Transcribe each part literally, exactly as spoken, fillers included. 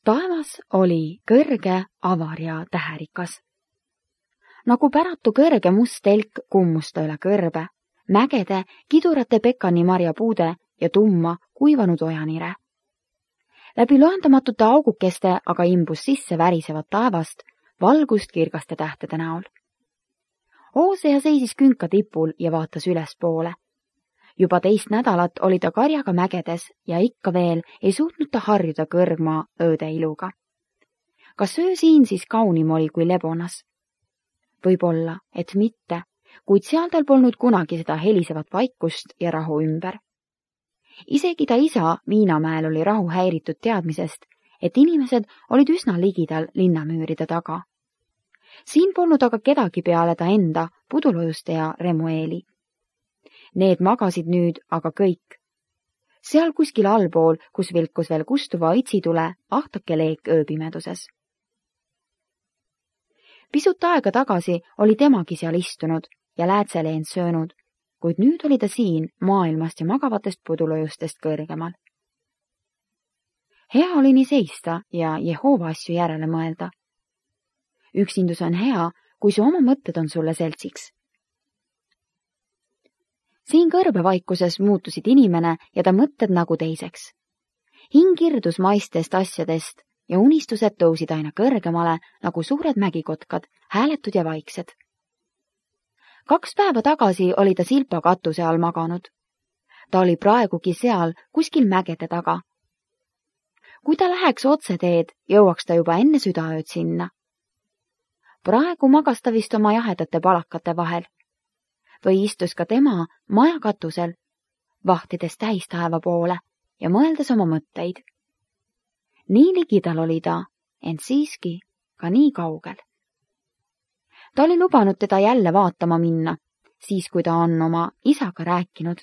Taevas oli kõrge, avar ja täherikas. Nagu päratu kõrge must telk kummusta üle kõrbe, mägede, kidurate pekani marjapuude ja tumma kuivanud ojanire. Läbi loendamatute augukeste aga imbus sisse värisevat taevast, valgust kirgaste tähtede näol. Hooseja seisis künka tipul ja vaatas ülespoole. Juba teist nädalat oli ta karjaga mägedes ja ikka veel ei suutnud ta harjuda kõrgmaa ööde iluga. Kas öö siin siis kaunim oli kui Lebonas? Võib-olla, et mitte, kuid seal tal polnud kunagi seda helisevat vaikust ja rahu ümber. Isegi ta isa Viinamäel oli rahu häiritud teadmisest, et inimesed olid üsna ligidal linnamüüride taga. Siin polnud aga kedagi peale ta enda, Pudulojuste ja Remueeli. Need magasid nüüd aga kõik. Seal kuskil allpool, kus vilkus veel kustuva õitsitule, ahtake leek ööpimeduses. Pisut aega tagasi oli temagi seal istunud ja läätseleend söönud, kuid nüüd oli ta siin maailmast ja magavatest pudulojustest kõrgemal. Hea oli nii seista ja Jehova asju järele mõelda. Üksindus on hea, kui su oma mõtted on sulle seltsiks. Siin kõrbevaikuses muutusid inimene ja ta mõtted nagu teiseks. Hing irdus maistest asjadest ja unistused tõusid aina kõrgemale nagu suured mägikotkad, hääletud ja vaiksed. Kaks päeva tagasi oli ta silpa katuse all maganud. Ta oli praegugi seal kuskil mägede taga. Kui ta läheks otse teed, jõuaks ta juba enne südaööd sinna. Praegu magas ta vist oma jahedate palakate vahel. Või istus ka tema maja katusel, vahtides täistaeva poole ja mõeldes oma mõtteid. Nii ligidal oli ta, ent siiski ka nii kaugel. Ta oli lubanud teda jälle vaatama minna, siis kui ta on oma isaga rääkinud.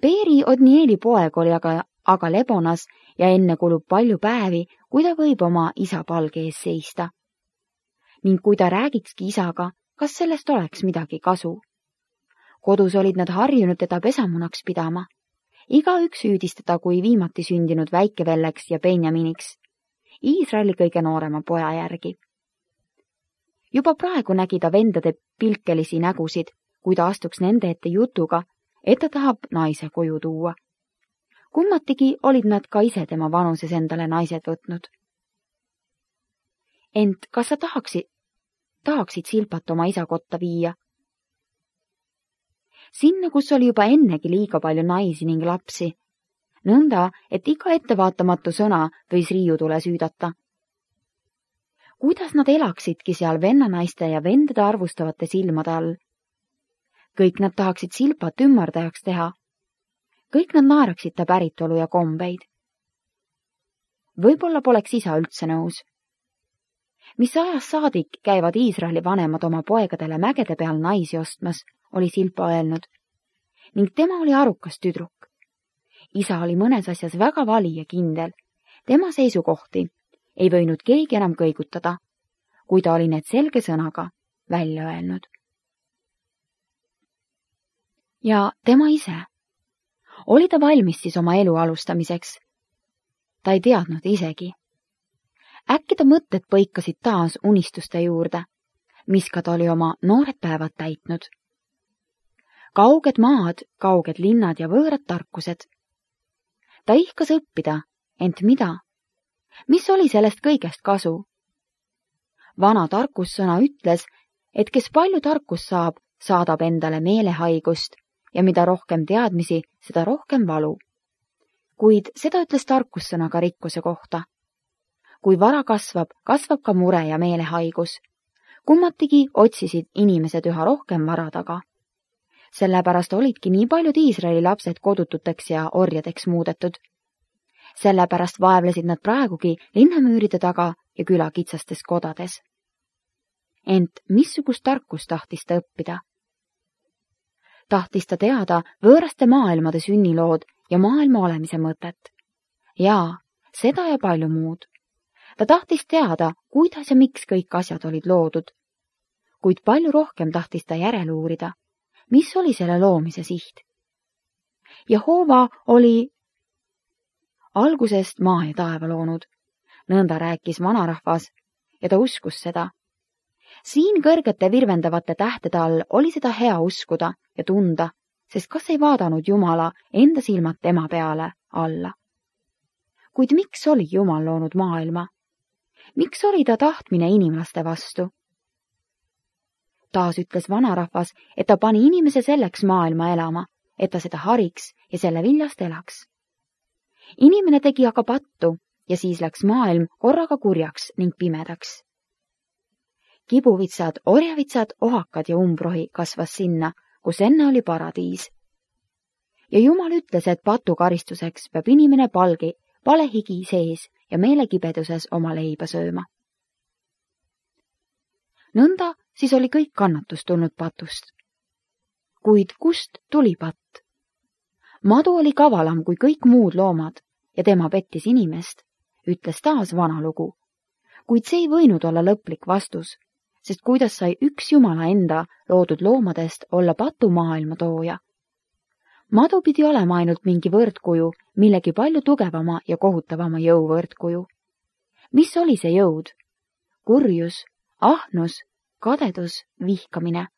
Peeri Odnieli poeg oli aga, aga Lebonas ja enne kulub palju päevi, kui ta võib oma isa palge ees seista. Ning kui ta räägikski isaga, kas sellest oleks midagi kasu. Kodus olid nad harjunud teda pesamunaks pidama. Igaüks süüdistada kui viimati sündinud väikevelleks ja Benjaminiks, Iisraeli kõige noorema poja järgi. Juba praegu nägi ta vendade pilkelisi nägusid, kui ta astuks nende ette jutuga, et ta tahab naise koju tuua. Kummatigi olid nad ka ise tema vanuses endale naised võtnud. Ent kas sa tahaksid, tahaksid Silpat oma isa kotta viia? Sinna, kus oli juba ennegi liiga palju naisi ning lapsi. Nõnda, et iga ettevaatamatu sõna võis riiutule süüdata. Kuidas nad elaksidki seal vennanaiste ja vendade arvustavate silmade all? Kõik nad tahaksid Silpat ümmardajaks teha. Kõik nad naeraksid ta päritolu ja kombeid. Võib-olla poleks isa üldse nõus. Mis ajas saadik käivad Iisraeli vanemad oma poegadele mägede peal naisi ostmas, oli Silpa öelnud, ning tema oli arukas tüdruk. Isa oli mõnes asjas väga vali ja kindel. Tema seisukohti ei võinud keegi enam kõigutada, kui ta oli need selge sõnaga välja öelnud. Ja tema ise? Oli ta valmis siis oma elu alustamiseks? Ta ei teadnud isegi. Äkki ta mõtted põikasid taas unistuste juurde, mis ka ta oli oma noored päevad täitnud. Kauged maad, kauged linnad ja võõrad tarkused. Ta ihkas õppida, ent mida? Mis oli sellest kõigest kasu? Vana tarkussõna ütles, et kes palju tarkust saab, saadab endale meelehaigust ja mida rohkem teadmisi, seda rohkem valu. Kuid seda ütles tarkussõna ka rikkuse kohta. Kui vara kasvab, kasvab ka mure ja meelehaigus. Kummatigi otsisid inimesed üha rohkem vara taga. Sellepärast olidki nii paljud Iisraeli lapsed kodututeks ja orjadeks muudetud. Sellepärast vaevlesid nad praegugi linnamüüride taga ja küla kitsastes kodades. Ent missugust tarkust tahtis ta õppida? Tahtis ta teada võõraste maailmade sünnilood ja maailma olemise mõtet. Jaa, seda ja palju muud. Ta tahtis teada, kuidas ja miks kõik asjad olid loodud. Kuid palju rohkem tahtis ta järele uurida, mis oli selle loomise siht. Jehova oli algusest maa ja taeva loonud nõnda rääkis vanarahvas ja ta uskus seda. Siin kõrgete virvendavate tähtede all oli seda hea uskuda ja tunda, sest kas ei vaadanud Jumala enda silmad tema peale alla. Kuid miks oli Jumal loonud maailma? Miks oli ta tahtmine inimlaste vastu? Taas ütles vanarahvas, et ta pani inimese selleks maailma elama, et ta seda hariks ja selle viljast elaks. Inimene tegi aga pattu ja siis läks maailm korraga kurjaks ning pimedaks. Kibuvitsad, orjavitsad, ohakad ja umbrohi kasvas sinna, kus enne oli paradiis. Ja Jumal ütles, et patu karistuseks peab inimene palgi, palehigi sees ja meelekibeduses oma leiba sööma. Nõnda siis oli kõik kannatus tulnud patust. Kuid kust tuli patt? Madu oli kavalam kui kõik muud loomad ja tema pettis inimest, ütles taas vana lugu. Kuid see ei võinud olla lõplik vastus, sest kuidas sai üks Jumala enda loodud loomadest olla patu maailma tooja. Madu pidi olema ainult mingi võrdkuju, millegi palju tugevama ja kohutavama jõu võrdkuju. Mis oli see jõud? Kurjus, ahnus, kadedus, vihkamine.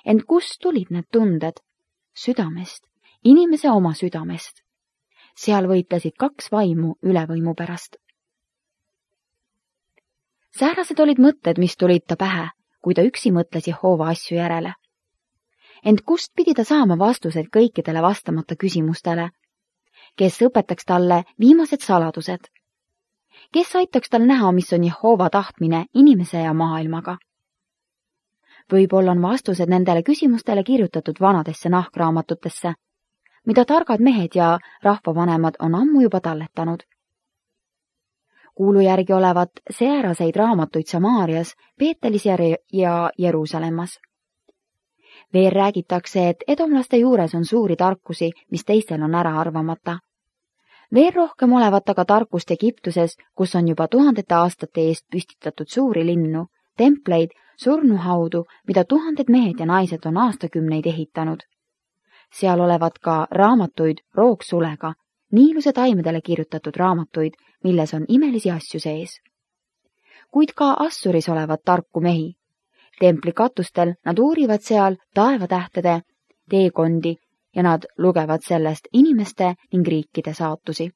Ent kust tulid need tunded? Südamest, inimese oma südamest. Seal võitlesid kaks vaimu ülevõimu pärast. Säärased olid mõtted, mis tulid ta pähe, kui ta üksi mõtles Jehova asju järele. Ent kust pidi ta saama vastused kõikidele vastamata küsimustele? Kes õpetaks talle viimased saladused? Kes aitaks tal näha, mis on Jehova tahtmine inimese ja maailmaga? Võib-olla on vastused nendele küsimustele kirjutatud vanadesse nahkraamatutesse, mida targad mehed ja rahvavanemad on ammu juba talletanud. Kuulu järgi olevat sääraseid raamatuid Samaarias, Peetelis ja Jeruusalemmas. Veel räägitakse, et edomlaste juures on suuri tarkusi, mis teistel on ära arvamata. Veel rohkem olevat aga tarkust Egiptuses, kus on juba tuhandete aastate eest püstitatud suuri linnu, templeid, surnuhaudu, mida tuhanded mehed ja naised on aastakümneid ehitanud. Seal olevat ka raamatuid roogsulega, niiluse taimedele kirjutatud raamatuid, milles on imelisi asju sees. Kuid ka Assuris olevat tarku mehi. Templi katustel nad uurivad seal taevatähtede teekondi ja nad lugevad sellest inimeste ning riikide saatusi.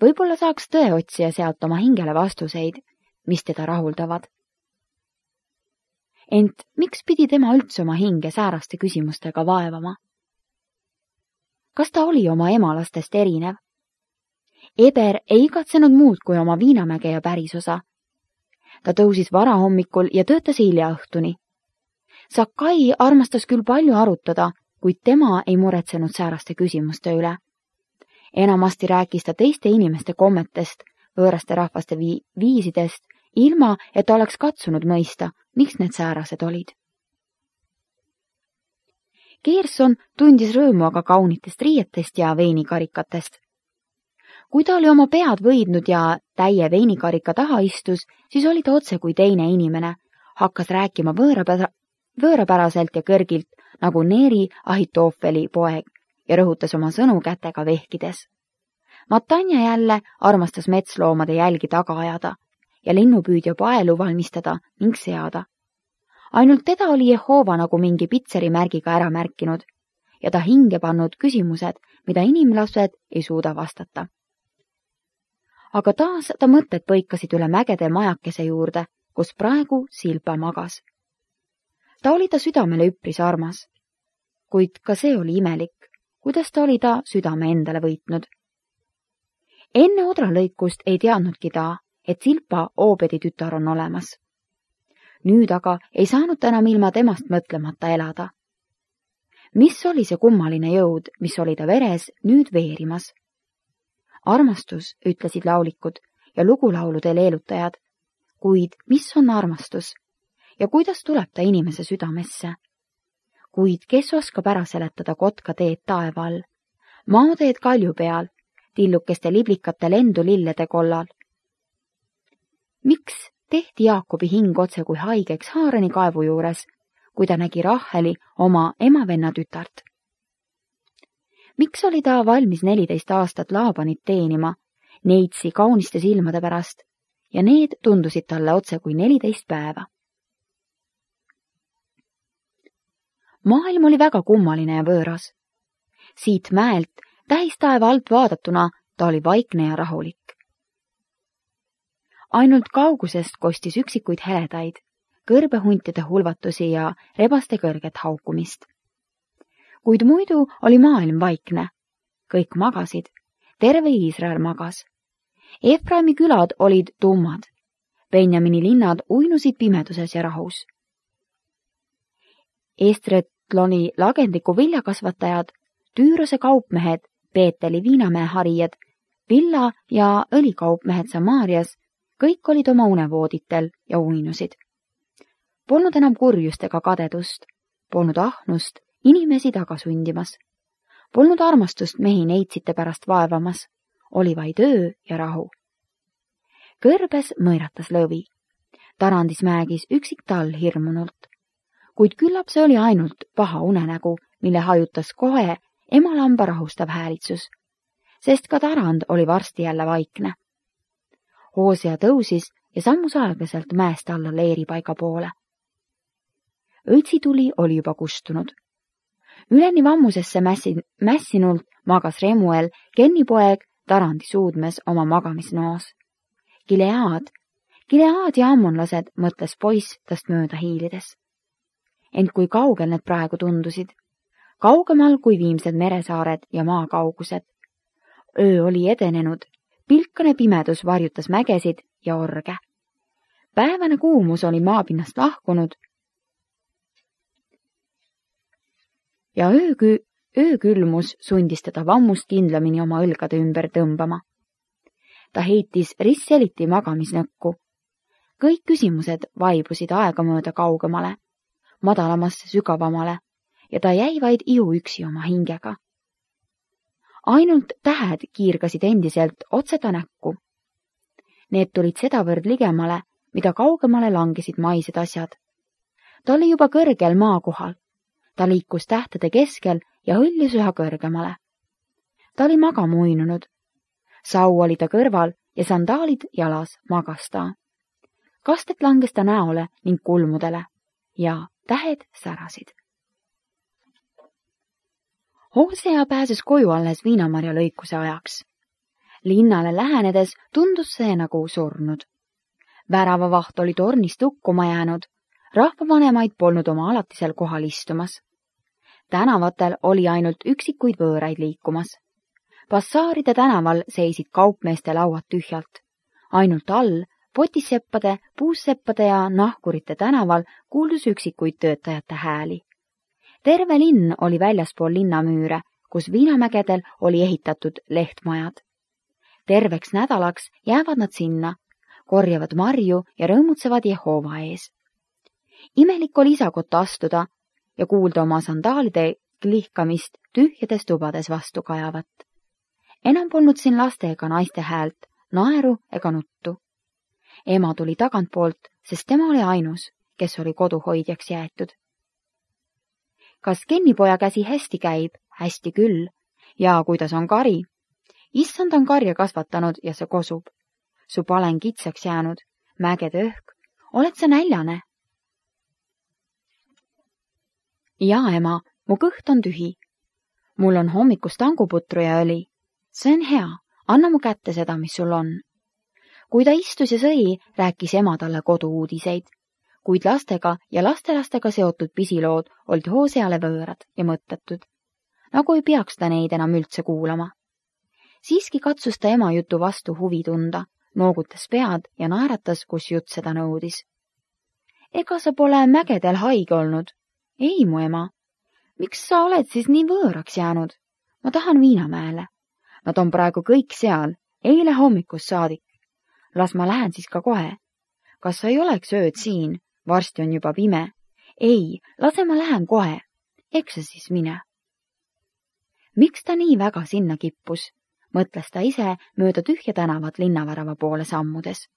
Võib-olla saaks tõeotsija sealt oma hingele vastuseid, mis teda rahuldavad. Ent miks pidi tema üldse oma hinge sääraste küsimustega vaevama? Kas ta oli oma emalastest erinev? Eber ei igatsenud muud kui oma viinamäge ja pärisosa. Ta tõusis varahommikul ja töötas hilja õhtuni. Sakai armastas küll palju arutada, kuid tema ei muretsenud sääraste küsimuste üle. Enamasti rääkis ta teiste inimeste kommetest, võõraste rahvaste vi- viisidest, ilma et ta oleks katsunud mõista, miks need säärased olid. Gerson tundis rõõmu aga kaunitest riietest ja veinikarikatest. Kui ta oli oma pead võidnud ja täie veinikarika taha istus, siis oli ta otse kui teine inimene, hakkas rääkima võõrapära, võõrapäraselt ja kõrgilt, nagu Neeri Ahitoofeli poeg, ja rõhutas oma sõnu kätega vehkides. Matanja jälle armastas metsloomade jälgi taga ajada ja linnupüüdja paelu valmistada ning seada. Ainult teda oli Jehova nagu mingi pitseri märgiga ära märkinud ja ta hinge pannud küsimused, mida inimlased ei suuda vastata. Aga taas ta mõtted põikasid üle mägede majakese juurde, kus praegu Silpa magas. Ta oli ta südamele üpris armas, kuid ka see oli imelik, kuidas ta oli ta südame endale võitnud. Enne odralõikust ei teadnudki ta, et Silpa Oobedi tütar on olemas. Nüüd aga ei saanud ta enam ilma temast mõtlemata elada. Mis oli see kummaline jõud, mis oli ta veres nüüd veerimas? Armastus, ütlesid laulikud ja lugulaulude leelutajad, kuid mis on armastus ja kuidas tuleb ta inimese südamesse? Kuid kes oskab ära seletada kotka teed taeva all, maateed kalju peal, tillukeste liblikate lendu lillede kollal? Miks tehti Jaakobi hing otse kui haigeks Haarani kaevu juures, kui ta nägi Raheli oma emavenna tütart? Miks oli ta valmis neliteist aastat Laabanit teenima neitsi kauniste silmade pärast ja need tundusid talle otse kui neliteist päeva. Maailm oli väga kummaline ja võõras. Siit mäelt, tähistaeva alt vaadatuna, ta oli vaikne ja rahulik. Ainult kaugusest kostis üksikuid heledaid, kõrbehuntide hulvatusi ja rebaste kõrget haukumist. Kuid muidu oli maailm vaikne. Kõik magasid. Terve Iisrael magas. Efraimi külad olid tummad. Benjamini linnad uinusid pimeduses ja rahus. Estretloni lagendliku viljakasvatajad, Tüürose kaupmehed, Peeteli viinamäe harijad, villa- ja õlikaupmehed Samaarias, kõik olid oma unevooditel ja uinusid. Polnud enam kurjust ega kadedust, polnud ahnust inimesi taga sundimas. Polnud armastust mehi neitsite pärast vaevamas, oli vaid öö ja rahu. Kõrbes mõiratas lõvi. Tarandis mäegis üksik tall hirmunult. Kuid küllap see oli ainult paha unenägu, mille hajutas kohe emalamba rahustav häälitsus, sest ka Tarand oli varsti jälle vaikne. Hoosea tõusis ja sammus aeglaselt mäest alla leeripaiga poole. Õitsituli oli juba kustunud. Üleni vammusesse mässin, mässinult magas Remuel, Kennipoeg, Tarandi suudmes oma magamisnoos. Gilead, Gilead ja ammonlased, mõtles poiss tast mööda hiilides. Ent kui kaugel need praegu tundusid, kaugemal kui viimsed meresaared ja maakaugused. Öö oli edenenud, pilkane pimedus varjutas mägesid ja orge. Päevane kuumus oli maapinnast lahkunud ja öökü, öökülmus sundis teda vammust kindlamini oma õlgade ümber tõmbama. Ta heitis risseliti magamisnõkku. Kõik küsimused vaibusid aegamööda kaugemale, madalamasse sügavamale ja ta jäi vaid ihu üksi oma hingega. Ainult tähed kiirgasid endiselt otse ta näkku. Need tulid sedavõrd ligemale, mida kaugemale langesid maised asjad. Ta oli juba kõrgel maakohal. Ta liikus tähtede keskel ja hõljus üha kõrgemale. Ta oli magama uinunud. Sau oli ta kõrval ja sandaalid jalas magas ta. Kastet langes ta näole ning kulmudele ja tähed särasid. Hoosea pääses koju alles viinamarja lõikuse ajaks. Linnale lähenedes tundus see nagu surnud. Väravavaht oli tornist hukkuma jäänud. Rahvavanemaid polnud oma alatisel kohal istumas. Tänavatel oli ainult üksikuid võõraid liikumas. Bassaaride tänaval seisid kaupmeeste lauad tühjalt. Ainult all, potisseppade, puusseppade ja nahkurite tänaval kuuldus üksikuid töötajate hääli. Terve linn oli väljaspool linnamüüre, kus viinamägedel oli ehitatud lehtmajad. Terveks nädalaks jäävad nad sinna, korjavad marju ja rõõmutsevad Jehova ees. Imelik oli isakotta astuda ja kuulda oma sandaalide klihkamist tühjades tubades vastu kajavat. Enam polnud siin laste ega naiste häält, naeru ega nuttu. Ema tuli tagantpoolt, sest tema oli ainus, kes oli koduhoidjaks jäetud. Kas Kennipoja käsi hästi käib? Hästi küll. Ja kuidas on kari? Issand on karja kasvatanud ja see kosub. Su palen kitsaks jäänud, mägede õhk. Oled sa näljane? Jaa, ema, mu kõht on tühi. Mul on hommikust tanguputru ja õli. See on hea, anna mu kätte seda, mis sul on. Kui ta istus ja sõi, rääkis ema talle kodu-uudiseid. Kuid lastega ja lastelastega seotud pisilood olid Hooseale võõrad ja mõttetud, nagu ei peaks ta neid enam üldse kuulama. Siiski katsus ta ema jutu vastu huvi tunda, noogutas pead ja naeratas, kus jutt seda nõudis. Ega sa pole mägedel haige olnud? Ei, mu ema. Miks sa oled siis nii võõraks jäänud? Ma tahan Viinamäele. Nad on praegu kõik seal, eile hommikust saadik. Las ma lähen siis ka kohe. Kas sa ei oleks ööd siin? Varsti on juba pime. Ei, lase ma lähen kohe. Eks sa siis mine. Miks ta nii väga sinna kippus? Mõtles ta ise mööda tühja tänavat linnavärava poole sammudes.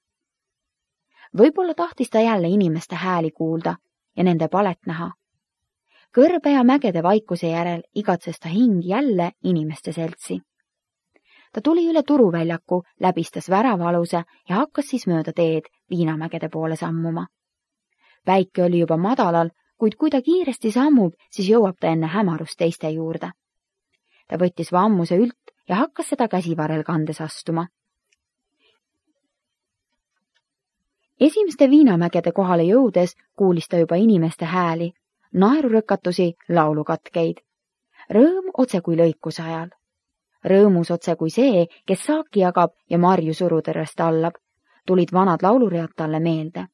Võib-olla tahtis ta jälle inimeste hääli kuulda ja nende palet näha. Kõrbe ja mägede vaikuse järel igatses ta hing jälle inimeste seltsi. Ta tuli üle turuväljaku, läbistas väravaluse ja hakkas siis mööda teed Viinamägede poole sammuma. Päike oli juba madalal, kuid kui ta kiiresti sammub, siis jõuab ta enne hämarust teiste juurde. Ta võttis vammuse ült ja hakkas seda käsivarel kandes astuma. Esimeste Viinamägede kohale jõudes kuulis ta juba inimeste hääli, naerurõkatusi, laulukatkeid. Rõõm otse kui lõikuse ajal. Rõõmus otse kui see, kes saaki jagab ja marju surutõrrest allab, tulid vanad lauluread talle meelde.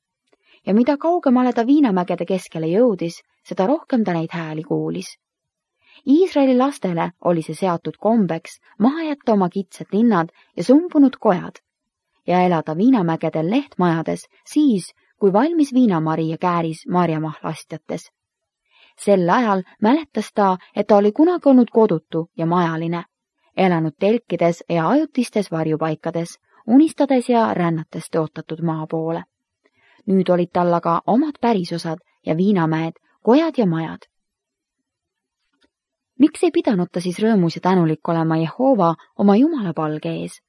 Ja mida kaugemale ta Viinamägede keskele jõudis, seda rohkem ta neid hääli kuulis. Iisraeli lastele oli see seatud kombeks maha jätta oma kitsed linnad ja sumbunud kojad ja elada Viinamägedel lehtmajades siis, kui valmis viinamari ja kääris marjamahlastjates. Sel ajal mäletas ta, et ta oli kunagi olnud kodutu ja majaline, elanud telkides ja ajutistes varjupaikades, unistades ja rännates tõotatud maa poole. Nüüd olid tal aga omad pärisosad ja Viinamäed, kojad ja majad. Miks ei pidanud ta siis rõõmus ja tänulik olema Jehova oma Jumala palge ees?